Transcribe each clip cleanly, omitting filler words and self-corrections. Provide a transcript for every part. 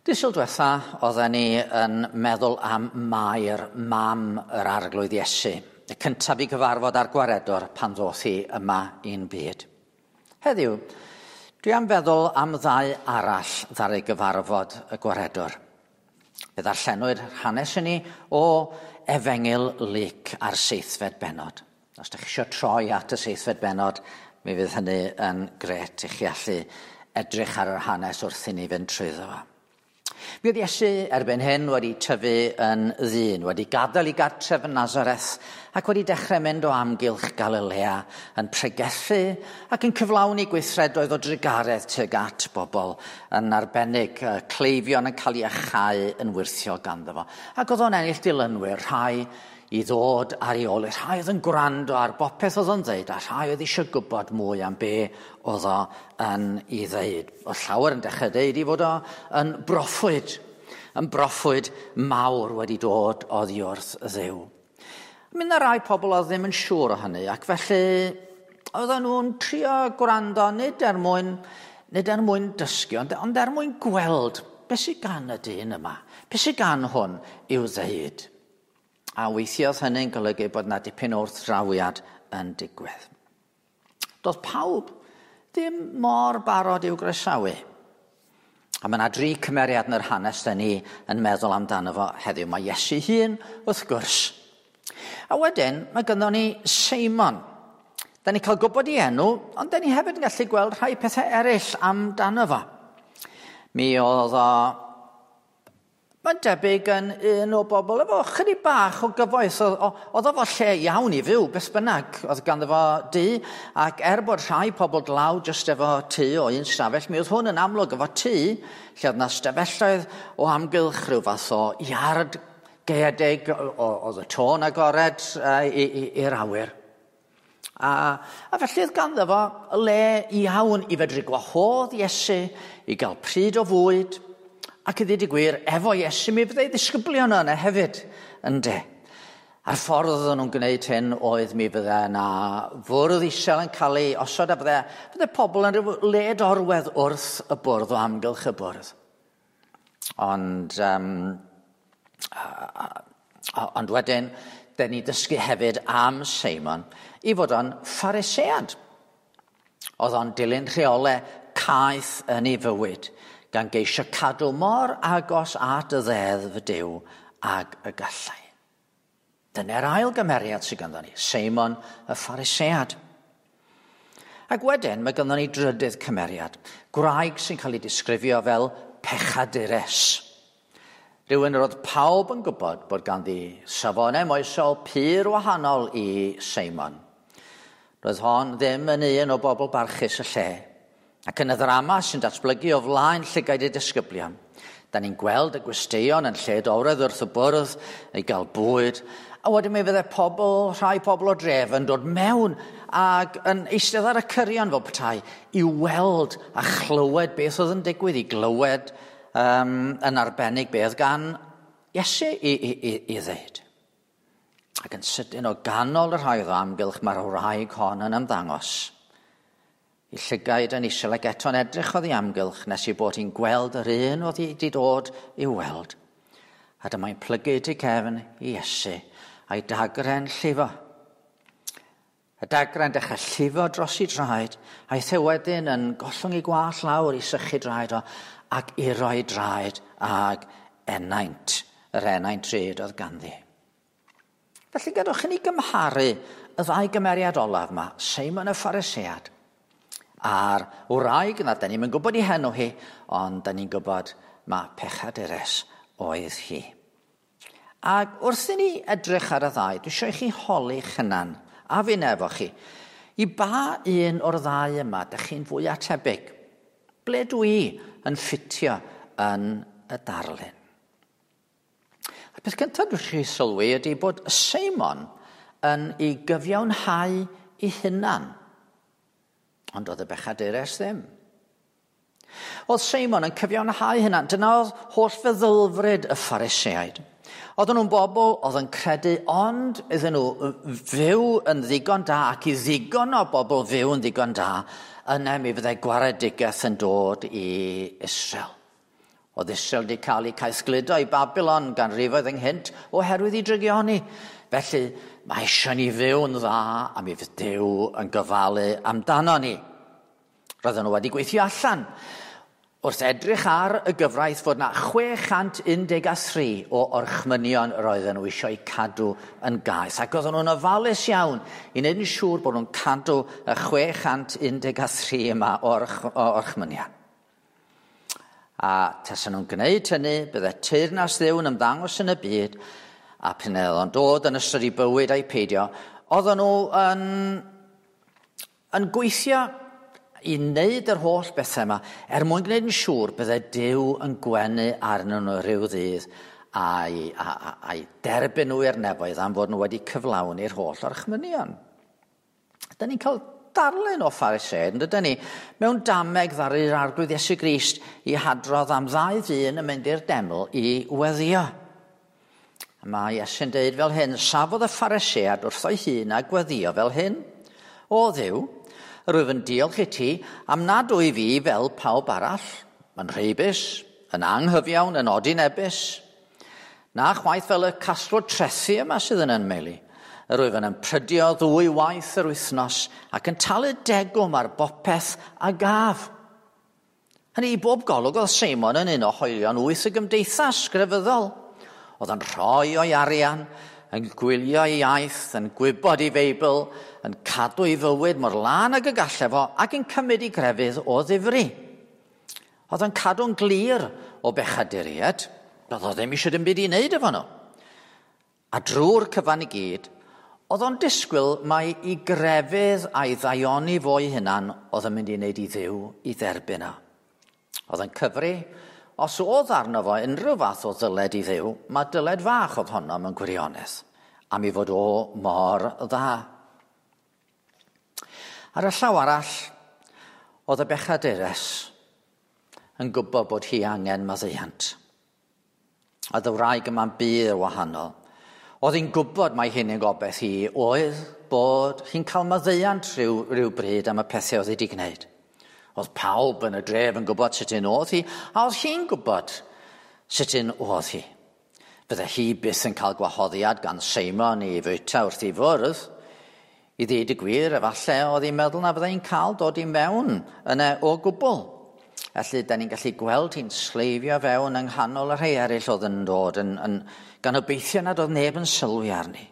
Dydd Sul diwetha, oedden ni yn meddwl am Mair, mam yr Arglwydd Iesu, y cyntaf i gyfarfod â'r Gwaredwr pan ddoth hi yma i'n byd. Heddiw, dwi am feddwl am ddau arall ddaru gyfarfod y Gwaredwr. Fe ddarllenwyd hanes i ni o Efengyl Luc a'r seithfed bennod. Os ydych chi eisiau troi at y seithfed bennod, mi fydd hynny yn grêt i chi allu edrych ar yr hanes wrth i ni fynd trwyddo fo. Mi oedd Iesu erbyn hyn wedi tyfu yn ddyn, wedi gadael ei gartref yn Nazareth ac wedi dechrau mynd o amgylch Galilea yn pregethu ac yn cyflawni gweithredoedd o drugaredd tuag at bobl, yn arbennig cleifion yn cael eu iacháu yn wyrthiol ganddo fo. Ac oedd o'n ennill dilynwyr, rhai i ddod ar ei ôl, rhai oedd yn gwrando ar bopeth oedd o'n ddeud, a rhai oedd eisiau gwybod mwy am be oedd o yn ei ddeud. Oedd llawer yn dechrau deud i fod o yn broffwyd, yn broffwyd mawr wedi dod oddi wrth Dduw. Mi 'na rai pobl oedd ddim yn siŵr o hynny, ac felly oedden nhw'n trio gwrando nid er mwyn, nid er mwyn dysgu, ond, ond er mwyn gweld beth sydd gan y dyn yma, beth sydd gan hwn i'w ddeud. A weithiodd hynny'n golygu bod 'na dipyn o wrthdrawiad yn digwydd. Doedd pawb ddim mor barod i'w groesawu. A mae yna dri cymeriad yn yr hanes da ni yn meddwl amdano fo heddiw. Mae Iesu hun, wrth gwrs. A wedyn, mae gynnon ni Seimon. Da ni cael gwybod ei enw, ond da ni hefyd yn gallu gweld rhai pethau eraill amdano fo. Mi oedd o Mae'n debyg yn un o bobl efo chydig bach o gyfoeth. Oedd o fo lle iawn i fyw, beth bynnag. Oedd ganddo fo dŷ, ac er bod rhai pobl dlawd jyst efo tŷ o un stafell, mi oedd hwn yn amlwg efo tŷ lle oedd 'na stafelloedd o amgylch rhyw fath o iard gaeedig, oedd y to'n agored i'r awyr. A, a felly oedd ganddo fo le iawn i fedru gwahodd Iesu i gael pryd o fwyd, ac i ddweud y gwir, efo Iesu mi fyddai ddisgyblion yna hefyd, ynde. A'r ffordd oedden nhw'n gwneud hyn oedd mi fydde yna fwrdd isel yn cael ei osod a bydde, bydde pobl yn rhyw led orwedd wrth y bwrdd o amgylch y bwrdd. Ond, um, ond wedyn, dyn ni dysgu hefyd am Seimon i fod o'n Pharisead. Oedd o'n dilyn rheolau caeth yn ei fywyd, gan geisio cadw mor agos at y ddeddf Duw ag y gallai. Dyna'r ail gymeriad sydd ganddo ni, Seimon y Pharisead. Ac wedyn mae ganddo ni drydydd cymeriad, gwraig sy'n cael ei disgrifio fel pechadures. Rhywun yr oedd pawb yn gwybod bod ganddi safonau moesol pur wahanol i Seimon. Roedd hon ddim yn un o bobl barchus y lle. Ac yn y ddrama sy'n datblygu o flaen llygaid y disgyblion, da ni'n gweld y gwesteion yn lled oredd wrth y bwrdd i gael bwyd, a wedyn mi fydde pobl, rhai pobl o dref yn dod mewn ac yn eistedd ar y cyrion fel petai i weld a chlywed beth oedd yn digwydd, i glywed um, yn arbennig beth gan Iesu i, i, i, i ddeud. Ac yn sydyn o ganol y rhai oedd o amgylch mae'r wraig hon yn ymddangos. I llygaid yn isel ac eto'n edrych oddi amgylch nes i bod hi'n gweld yr un oedd hi wedi dod i'w weld. A dyma'n plygu tu cefn i Iesu a'i dagre'n llifo. Y dagrau'n dechrau llifo dros ei draed, aeth e wedyn yn gollwng ei gwallt lawr i sychu draed o, ac i roi draed ag enaint, yr enaint drud oedd ganddi. Felly gadwch i ni gymharu y ddau gymeriad olaf yma, Seimon y Pharisead a'r wraig yna, da ni'm yn gwybod ei henw hi, ond da ni'n gwybod ma pechadures oedd hi. Ac wrth i ni edrych ar y ddau, dwi eisiau i chi holi'ch hunan, a fi'n efo chi, i ba un o'r ddau yma dych chi'n fwy atebyg? Ble dwi yn ffitio yn y darlun? A'r peth cyntaf dwi eisiau chi sylwi ydy bod Seimon yn ei gyfiawnhau ei hunan, ond oedd y bechadures ddim. Oedd Seimon yn cyfiawnhau hynna. Dyna oedd holl feddylfryd y Phariseaid. Oedden nhw'n bobl oedd yn credu ond iddyn nhw fyw yn ddigon da ac i ddigon o bobl fyw yn ddigon da, yna mi fyddai gwaredigaeth yn dod i Israel. Oedd Israel wedi cael eu caethgludo i Babylon ganrifoedd ynghynt oherwydd i drygioni. Felly, mae eisiau ni fyw'n dda a mi fydd Duw yn gofalu amdano ni. Roedden nhw wedi gweithio allan wrth edrych ar y gyfraith fod na 613 o orchmynion yr oedden nhw eisiau cadw yn gaeth. Ac oedden nhw'n ofalus iawn i wneud yn siŵr bod nhw'n cadw y 613 yma o orchmynion. A tasen nhw'n gwneud hynny, bydde teyrnas Dduw yn ymddangos yn y byd, a p'un oedd o'n dod yn ystod i bywyd a'i peidio, oedden nhw yn gweithio i wneud yr holl bethau yma, er mwyn gwneud yn siŵr bydde Duw yn gwenu arnyn nhw rhyw ddydd a'i derbyn nhw i'r nefoedd am fod nhw wedi cyflawni'r holl orchmynion. Da ni'n cael darlun o Phariseaid, yn dydyn ni, mewn dameg ddaru'r Arglwydd Iesu Grist i hadrodd am ddau ddyn yn mynd i'r deml i weddio. Mae Iesu'n deud fel hyn, safodd y Pharisead wrtho'i hun a gweddio fel hyn. O Dduw, rwyf yn diolch i ti am nad wyf fi fel pawb arall, yn rheibus, yn anghyfiawn, yn odinebus, na chwaith fel y casglwr trethi yma sydd yn ymheli. Yr wyf yn ymprydio ddwy waith yr wythnos ac yn talu degwm ar bopeth a gaf. Hynny i bob golwg oedd Seimon yn un o hoelion wyth y gymdeithas grefyddol. Oedd yn rhoi o'i arian, yn gwylio ei iaith, yn gwybod ei Feibl, yn cadw ei fywyd mor lân ag y gallai fo ac yn cymryd ei grefydd o ddifri. Oedd yn cadw'n glir o bechaduriaid, doedd o ddim eisiau dim byd i wneud efo nhw. A drwy'r cyfan i gyd, oedd o'n disgwyl mai i grefydd a'i ddaioni fo'i hunan oedd yn mynd i wneud i Dduw i dderbyn o. Oedd yn cyfri, os oedd arno fo unrhyw fath o ddyled i Dduw, mae dyled fach oedd honno mewn gwirionedd, am ei fod o mor dda. Ar y llaw arall, oedd y bechadures yn gwybod bod hi angen maddeuant. Oedd y wraig yma'n bur wahanol. Oedd hi'n gwybod mai hyn yn gobeith hi oedd bod hi'n cael maddeuant rhyw bryd am y pethau oedd hi wedi gwneud. Oedd pawb yn y dref yn gwybod sut un oedd hi, a oedd hi'n gwybod sut un oedd hi. Bydde hi byth yn cael gwahoddiad gan Seimon i fwyta wrth ei fwrdd. I ddweud y gwir, efallai oedd hi'n meddwl na fyddai'n cael dod i mewn yna o gwbl. Felly, da ni'n gallu gweld hi'n sleifio fewn yng nghanol y rhai eraill oedd yn dod, gan obeithio nad oedd neb yn sylwi arni.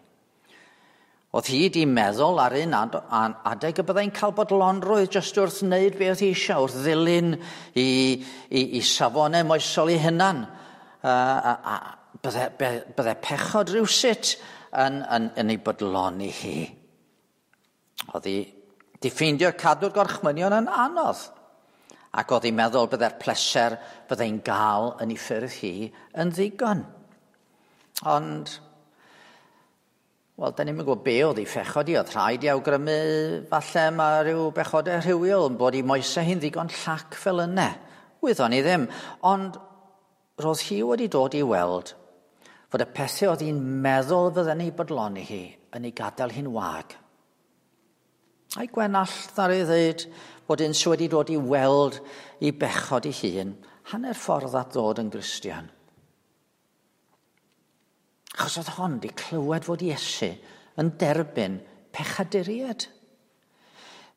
Oedd hi wedi meddwl ar un adeg y byddai'n cael bodlonrwydd jyst wrth wneud beth oedd hi eisiau, wrth ddilyn i safonau moesol ei hunan. Bydde pechod rhywsut yn ei bodloni hi. Oedd hi wedi ffeindio cadw'r gorchmynion yn anodd. Ac oedd hi'n meddwl bydde'r pleser byddai'n gael yn ei ffyrdd hi yn ddigon. Ond, wel, da ni'm yn gwybod be oedd ei phechod hi. Oedd rhaid i awgrymu falle mae rhyw bechodau rhywiol yn bod i moesau hi'n ddigon llac fel yna. Wyddon ni ddim. Ond roedd hi wedi dod i weld fod y pethau oedd hi'n meddwl fydden ei bodloni hi yn ei gadael hi'n wag. A'i Gwenallt ddaru ddweud bod un sydd wedi dod i weld i bechod ei hun hanner ffordd at ddod yn Gristion. Achos oedd hon wedi clywed fod Iesu yn derbyn pechaduriaid.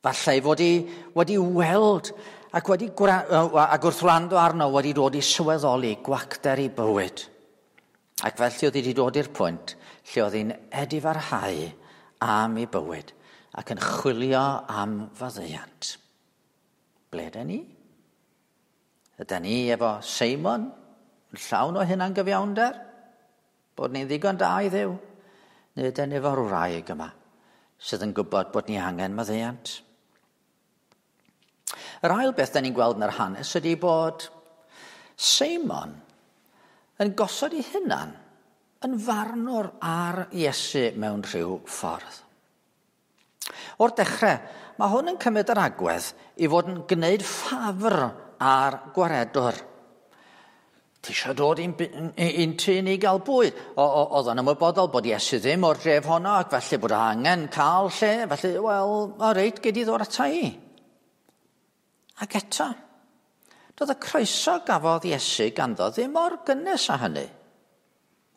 Falle ei fod hi wedi weld ac wedi ac wrth wrando arno wedi dod i sylweddoli gwacter ei bywyd. Ac felly oedd hi wedi dod i'r pwynt lle oedd hi'n edifarhau am ei bywyd ac yn chwilio am faddeuant. Ble ydyn ni? Ydyn ni efo Seimon yn llawn o hunangyfiawnder? Bod ni'n ddigon da i Dduw? Neu ydyn ni efo'r wraig yma sydd yn gwybod bod ni angen maddeuant? Yr ail beth da ni'n gweld yn yr hanes ydy bod Seimon yn gosod ei hunan yn farnwr ar Iesu mewn rhyw ffordd. O'r dechrau, mae hwn yn cymryd yr agwedd i fod yn gwneud ffafr ar gwaredwr. Ti eisiau dod i'n tŷ ni gael bwyd? Oedd o'n ymwybodol bod Iesu ddim o'r dref honno ac felly bod angen cael lle, felly, wel, o reit, gei di ddod ata i. Ac eto, Doedd y croeso gafodd Iesu ganddo ddim mor gynnes â hynny.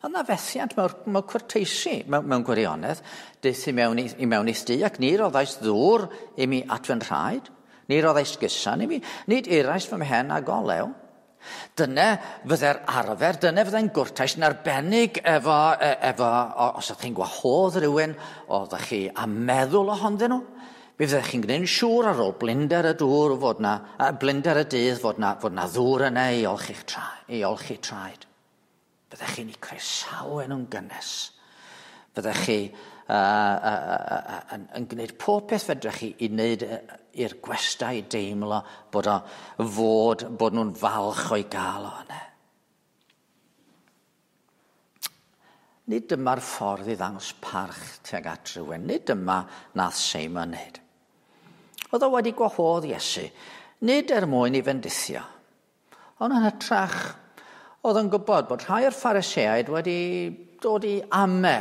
Oedd 'na fethiant mewn cwrteisi, mewn gwirionedd. Daeth i mewn i'th dŷ ac ni roddais ddŵr i mi at fy nhraed, ni roddais gusan i mi, nid irais fy mhen ag olew. Dyna fydde'r arfer, dyna fydde'n gwrtais yn arbennig efo os ydych chi'n gwahodd rhywun, oeddech chi a meddwl ohonddyn nhw. Mi fyddech chi'n gwneud yn siŵr ar ôl blinder y dŵr fod na, blinder y dydd fod na ddŵr yna i olchi traed. Fyddech chi'n eu croesawu nhw'n gynnes. Fyddech chi yn gwneud pob peth fedrech chi i wneud i'r gwestai deimlo bod nhw'n falch o'i gael o yna. Nid dyma'r ffordd i ddangos parch tuag at rhywun. Nid dyma nath Seimon wneud. Oedd o wedi gwahodd Iesu, nid er mwyn i fendithio, ond yn hytrach oedd yn gwybod bod rhai o'r Phariseaid wedi dod i ame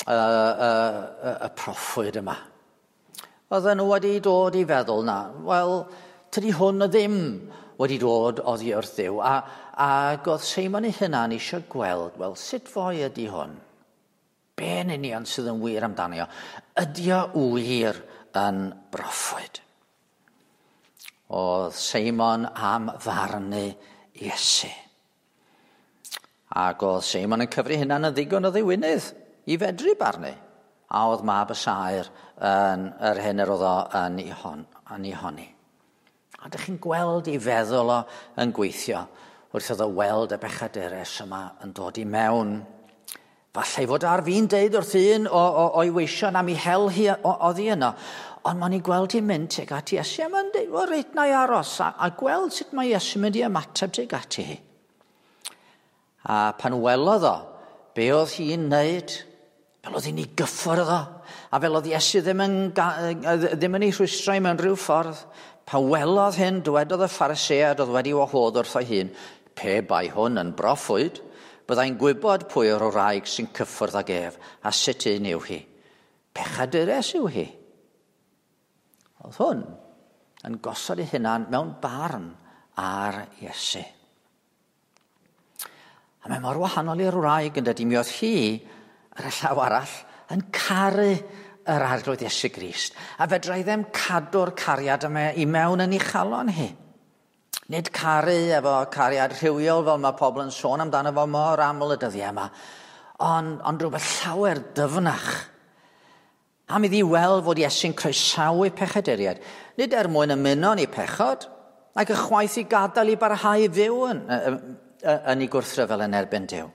y proffwyd yma. Oedden nhw wedi dod i feddwl na, wel, tydi hwn ddim wedi dod oddi wrth Dduw, ac oedd Seimon ei hunan eisiau gweld, wel, sut foi ydi hwn? Be yn union sydd yn wir amdani o? Ydi o wir yn broffwyd? Oedd Seimon am farnu Iesu. Ac oedd Seimon yn cyfri hunan yn ddigon o ddiwinydd i fedru barnu. A oedd mab y saer yn yr hyn yr oedd o yn ei honni. A dych chi'n gweld ei feddwl o yn gweithio wrth iddo weld y bechadures yma yn dod i mewn. Falle ei fod ar fin deud wrth un o'i weision am ei hel hi oddi yno. Ond mae'n ei gweld hi'n mynd tuag at Iesu a mae'n deud, wel, reit, na i aros a gweld sut mae Iesu'n mynd i ymateb tuag ati hi. A pan welodd o, be oedd hi'n wneud, fel oedd hi'n ei gyffwrdd o, a fel oedd Iesu ddim yn ei rhwystrau mewn rhyw ffordd. Pan welodd hyn, dywedodd y Pharisead oedd wedi wahodd wrtho hun, pe bai hwn yn broffwyd, byddai'n gwybod pwy o'r wraig sy'n cyffwrdd ag ef, a sut un yw hi. Pechadures yw hi. Oedd hwn yn gosod ei hunan mewn barn ar Iesu. A mae mor wahanol i'r wraig yn dydi, mi oedd hi, ar y llaw arall, yn caru yr Arglwydd Iesu Grist. A fedrai ddim cadw'r cariad yma i mewn yn ei chalon hi. Nid caru efo cariad rhywiol fel mae pobl yn sôn amdano fo mor aml y dyddiau yma, ond rhywbeth llawer dyfnach. Am iddi weld fod Iesu'n croesawu pechaduriaid, nid er mwyn ymuno yn ei pechod, ac ychwaith i gadael i barhau fyw yn ei gwrthryfel yn erbyn Duw.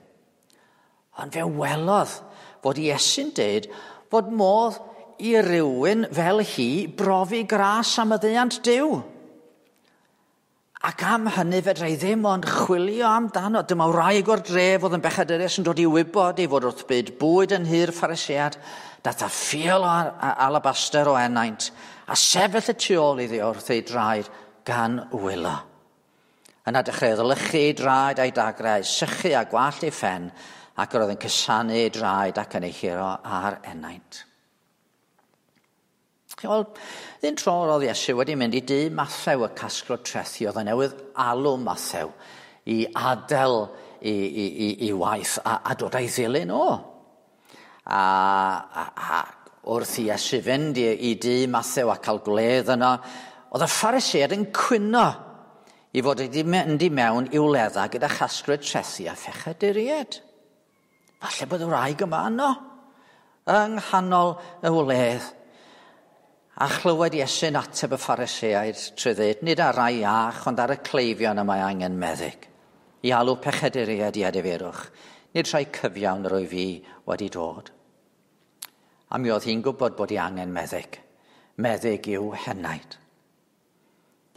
Ond fe welodd fod Iesu'n deud fod modd i rywun fel hi brofi gras am maddeuant Duw. Ac am hynny fedrai ddim ond chwilio amdano. Dyma wraig o'r dref oedd yn bechadurus yn dod i wybod ei fod wrth byd bwyd yn nhŷ'r Pharisead, dath â ffiol o alabaster o ennaint, a sefyll y tu ôl iddi wrth ei draed gan wylo. Yna dechreuodd olychu ei draed a'i dagrau, sychu a gwallt ei phen, ac yr oedd yn cusanu ei draed ac yn ei churo ar ennaint. Wel, un tro oedd Iesu wedi mynd i dŷ Mathew y casglwr trethi, oedd yn newydd alw Mathew i adael i waith a dod a'i ddilyn o. A wrth i Iesu fynd i dŷ Mathew a cael gwledd yno, oedd y Phariseaid yn cwyno i fod wedi mynd i mewn i'w wledda gyda chasglwyr trethi a phechaduriaid. Falle bod y wraig yma yno, yng nghanol y wledd. A chlywed Iesu'n ateb y Phariseaid trwy ddweud, nid ar rai iach, ond ar y cleifion y mae angen meddyg, i alw pechaduriaid i edifeirwch, nid rhai cyfiawn yr wyf fi wedi dod. A mi oedd hi'n gwybod bod hi angen meddyg. Meddyg i'w henaid.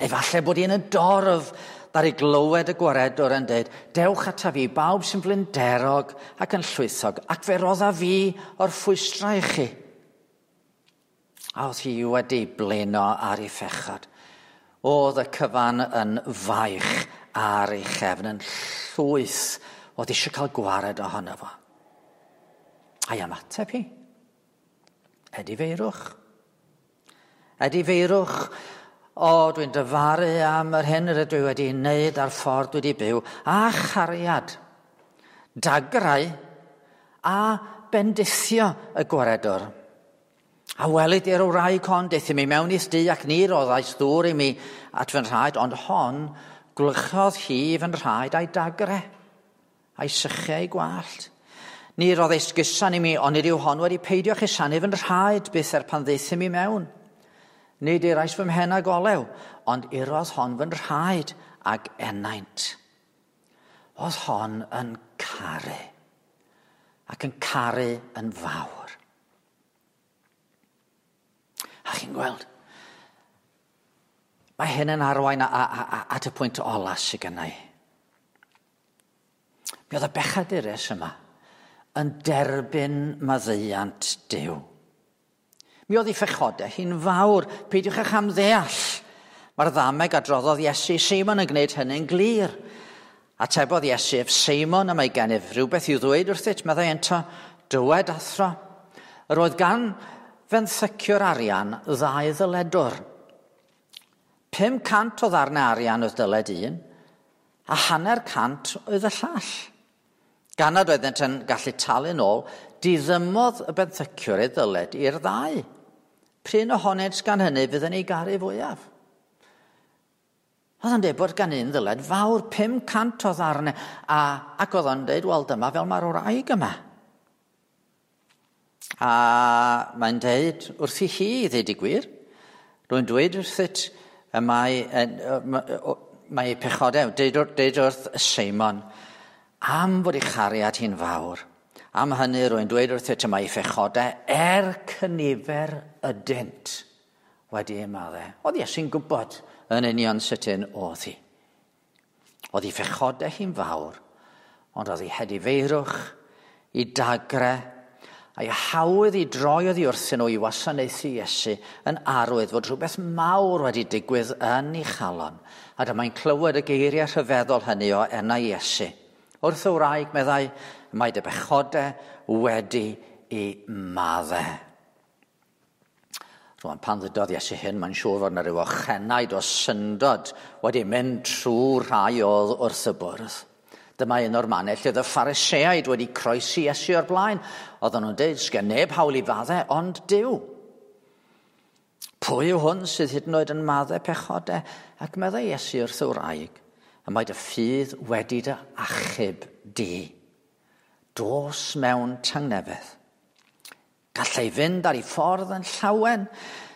Neu falle bod hi'n y dorf ddaru glywed y gwaredwr yn dweud, dewch ata fi, bawb sy'n flinderog ac yn llwythog, ac fe rodda fi o'r ffwystrau i chi. A oedd hi wedi blino ar ei phechod. Oedd y cyfan yn faich ar ei chefn, yn llwyth, oedd eisiau cael gwared ohono fo. A'i ymateb hi. Edifeirwch. Edifeirwch O, dwi'n dyfaru am yr hyn rydw i wedi wneud a'r ffordd dwi wedi byw, a chariad, dagrau a bendithio y gwaredwr. A welid i'r wraig hon, deuthum i mewn i'th dŷ ac ni roddais ddŵr i mi at fy nhraed, ond hon gwlychodd hi fy nhraed a'i dagre, a'i sychu a'i gwallt. Ni roddais gusan i mi, ond nid yw hon wedi peidio chusanu fy nhraed byth er pan ddaethum i mewn. Nid irais fy mhen ag olew, ond irodd hon fy nhraed ag ennaint. Oedd hon yn caru, ac yn caru yn fawr. A chi'n gweld, mae hyn yn arwain at y pwynt ola sydd gennau. Mi oedd y bechadurus yma yn derbyn maddeuant Duw. Mi oedd ei phechodau hi'n fawr, peidiwch â chamddeall. Mae'r ddameg adroddodd Iesu Seimon yn gwneud hynny'n glir. Atebodd Iesu ef, Seimon, y mae gennyf rhywbeth i'w ddweud wrthyt, meddai ento, dywed athro. Yr oedd gan fenthyciwr arian ddau ddyledwr. 500 o ddarnau arian oedd dyled un, a 500 oedd y llall. Gan nad oeddent yn gallu talu nôl, diddymodd y benthyciwr ei ddyled i'r ddau. Prin ohonynt gan hynny fydd yn ei garu fwyaf. Oedd o'n dweud bod gan un ddyled fawr, 500 o ddarnau, ac oedd o'n dweud, wel dyma fel mae'r wraig yma. A mae'n dweud wrthi hi, i ddweud y gwir, rwy'n dweud wrthyt, y mae, mae ei pechodau, deud wrth Seimon, am fod ei chariad hi'n fawr. Am hynny rwy'n dweud wrthyt y mae ei phechodau er cynifer ydynt wedi ei maddau. Oedd Iesu'n gwybod yn union sut un oedd hi. Oedd ei phechodau hi'n fawr, ond oedd ei hedifeirwch, ei dagre, a'i hawydd i droi oddi wrthyn nhw i wasanaethu Iesu yn arwydd fod rhywbeth mawr wedi digwydd yn ei chalon. A dyma'n clywed y geiriau rhyfeddol hynny o enau Iesu. Wrth y wraig, meddai, mae dy bechodau wedi i maddau. Rwan, pan ddydodd Iesu hyn, mae'n siŵr fod yna rhyw ochenaid o syndod wedi mynd trwy rhai oedd wrth y bwrdd. Dyma un o'r mannau lle oedd y Phariseaid wedi croesi Iesu o'r blaen. Oedden nhw'n dweud, sgen neb hawl i faddau, ond Duw. Pwy yw hwn sydd hyd yn oed yn maddau pechodau? Ac meddai Iesu wrth y wraig, y mae dy ffydd wedi dy achub di. Dos mewn tangnefedd. Gallai fynd ar ei ffordd yn llawen,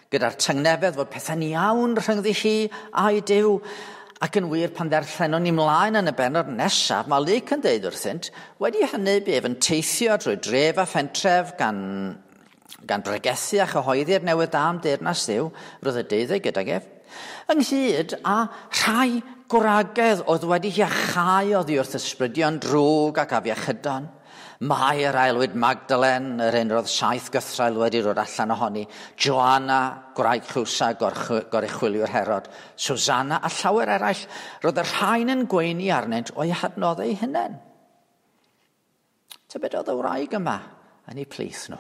gyda'r tangnefedd fod pethau'n iawn rhyngddi hi a'i Duw. Ac yn wir, pan ddarllenon ni mlaen yn y bennod nesaf, mae Luc yn deud wrthynt, wedi hynny bu ef yn teithio drwy dref a phentref gan bregethu a chyhoeddi'r newydd da am deyrnas Dduw, roedd y deuddeg gydag ef, ynghyd â rhai gwragedd oedd wedi iachau oddi wrth ysbrydion drwg ac afiechydon. Mae yr aelwyd Magdalen, yr un roedd 7 gythraul wedi dod allan ohoni, Joanna, gwraig Chwsa, goruchwyliwr Herod, Susanna a llawer eraill, roedd y rhain yn gweini arnynt o'i hadnoddau eu hunain. Tybed oedd y wraig yma yn ei plith nhw?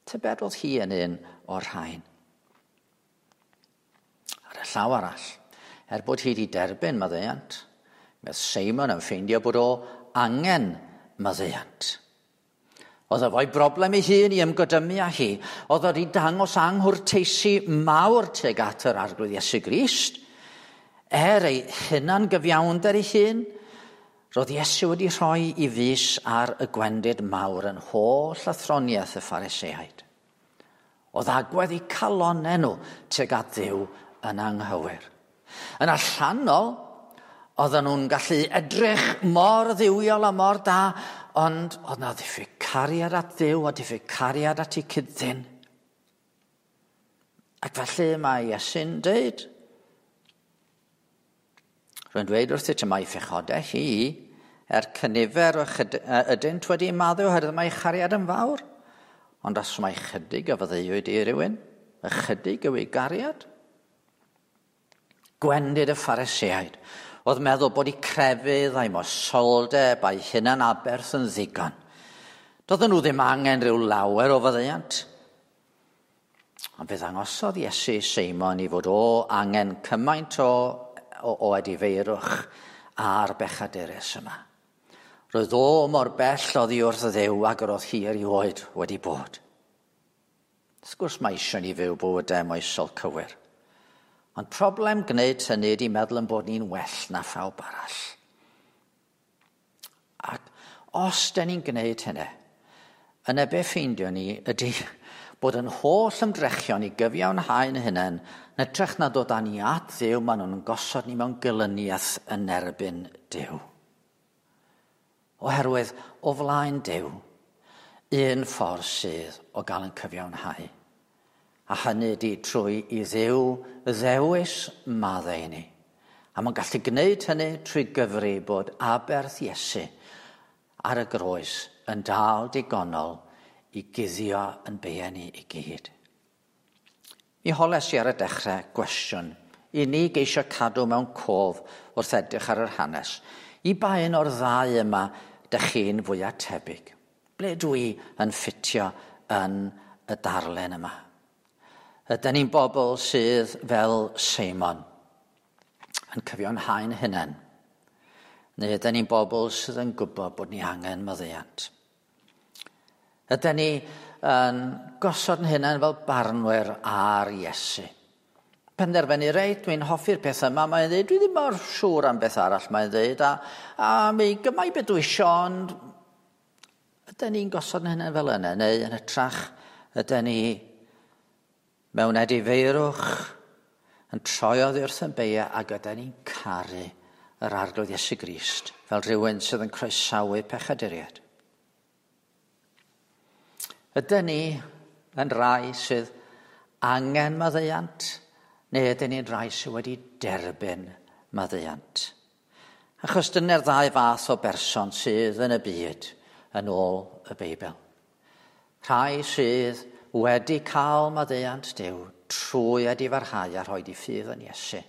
Tybed oedd hi yn un o'r rhain? Ar y llaw arall, er bod hi wedi derbyn maddeuant, mae Seimon yn ffeindio bod o angen maddeuant. Oedd efo'i broblem ei hun i ymgodymu â hi. Oedd wedi dangos anghwrteisi mawr tuag at yr Arglwydd Iesu Grist. Er ei hunan gyfiawnder ei hun, roedd Iesu wedi rhoi i fys ar y gwendid mawr yn holl athroniaeth y Phariseaid. Oedd agwedd eu calonnau nhw tuag at Dduw yn anghywir. Yn allanol, oedden nhw'n gallu edrych mor dduwiol a mor da, ond oedd na ddiffyg cariad at Dduw a diffyg cariad at ei cyd-ddyn. Ac felly mae Iesu'n dweud, rwy'n dweud wrthyt y mae phechodau hi, er cynifer o ydynt wedi maddau oherwydd mae chariad yn fawr, ond os mae chydig a faddeuwyd i rywun, ychydig yw ei gariad. Gwendid y Phariseaid oedd meddwl bod eu crefydd a'i moesoldeb a'i hunan aberth yn ddigon. Doedden nhw ddim angen rhyw lawer o faddeuant. Ond fe ddangosodd Iesu Seimon i fod o angen cymaint o edifeirwch a'r bechadurus yma. Roedd o mor bell oddi wrth Dduw ag yr oedd hi erioed wedi bod. Wrth gwrs mae eisiau ni fyw bywydau moesol cywir. Ond problem gwneud hynny ydy meddwl yn bod ni'n well na phawb arall. Ac os da ni'n gwneud hynny, yna be ffeindio ni ydy bod yn holl ymdrechion i gyfiawnhau'n hunain, yn hytrach na dod â ni at Dduw, maen nhw'n gosod ni mewn gelyniaeth yn erbyn Duw. Oherwydd o flaen Duw, un ffordd sydd o gael yn cyfiawnhau. A hynny ydy trwy i Dduw ddewis maddau i ni. A mae'n gallu gwneud hynny trwy gyfri bod aberth Iesu ar y groes yn dal digonol i guddio yn beiau ni i gyd. Mi holes i ar y dechrau gwestiwn i ni geisio cadw mewn cof wrth edrych ar yr hanes. I ba un o'r ddau yma dych chi'n fwyaf tebyg? Ble dwi yn ffitio yn y darlun yma? Ydyn ni'n bobl sydd fel Seimon yn cyfiawnhau'n hunain? Neu ydyn ni'n bobl sydd yn gwybod bod ni angen maddeuant? Ydyn ni yn gosod yn hunain fel barnwyr ar Iesu? Penderfynu, reit, dwi'n hoffi'r peth yma, mae'n dweud, dwi ddim mor siŵr am beth arall, mae'n dweud, a mi gymau beth dwi isio, ond ydyn ni'n gosod yn hunain fel yna, neu yn hytrach, ydyn ni mewn edifeirwch yn troi oddi wrth yn beiau ac ydyn ni'n caru yr Arglwydd Iesu Grist fel rhywun sydd yn croesawu pechaduriaid. Ydyn ni yn rai sydd angen maddeuant, neu ydyn ni'n rai sydd wedi derbyn maddeuant? Achos dyna'r ddau fath o berson sydd yn y byd yn ôl y Beibl. Rhai sydd wedi cael maddeuant Duw trwy edifarhau a rhoi di ffydd yn Iesu.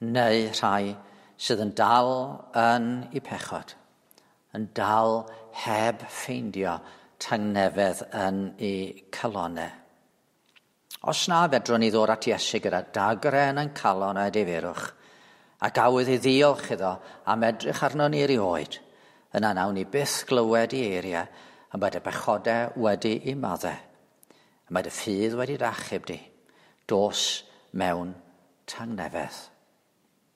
Neu rhai sydd yn dal yn eu pechod, yn dal heb ffeindio tangnefedd yn eu calonau. Os na fedrwn ni ddod at Iesu gyda dagre yn ein calon a edifeirwch, ac awydd i ddiolch iddo am edrych arno ni erioed, yna nawn ni byth glywed i eiriau am bod y bechodau wedi i maddau, a mae dy ffydd wedi dy achub di, dos mewn tangnefedd.